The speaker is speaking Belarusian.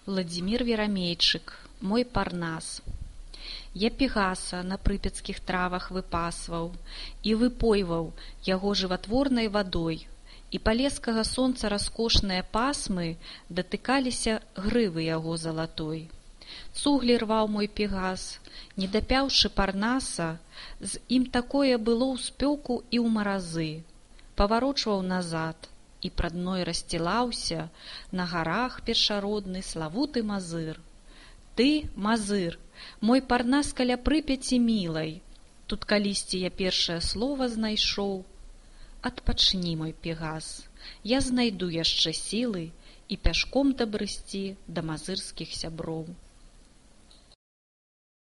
Владзімір Верамейчык, мой Парнас. Я Пегаса на прыпяцкіх травах выпасваў і выпойваў яго жыватворнай вадой, і палескага сонца раскошныя пасмы датыкаліся грывы яго залатой. Цуглі рваў мой Пегас, не дапяўшы Парнаса, з ім такое было ў спёку і ў маразы. Паварочваў назад, і прад мной рассцілаўся на гарах першародны славуты Мазыр. Ты, Мазыр, мой Парнас каля Прыпяці мілай, тут калісьці я першае слова знайшоў. Адпачні, мой Пегас, я знайду яшчэ сілы і пяшком дабрысці да мазырскіх сяброў.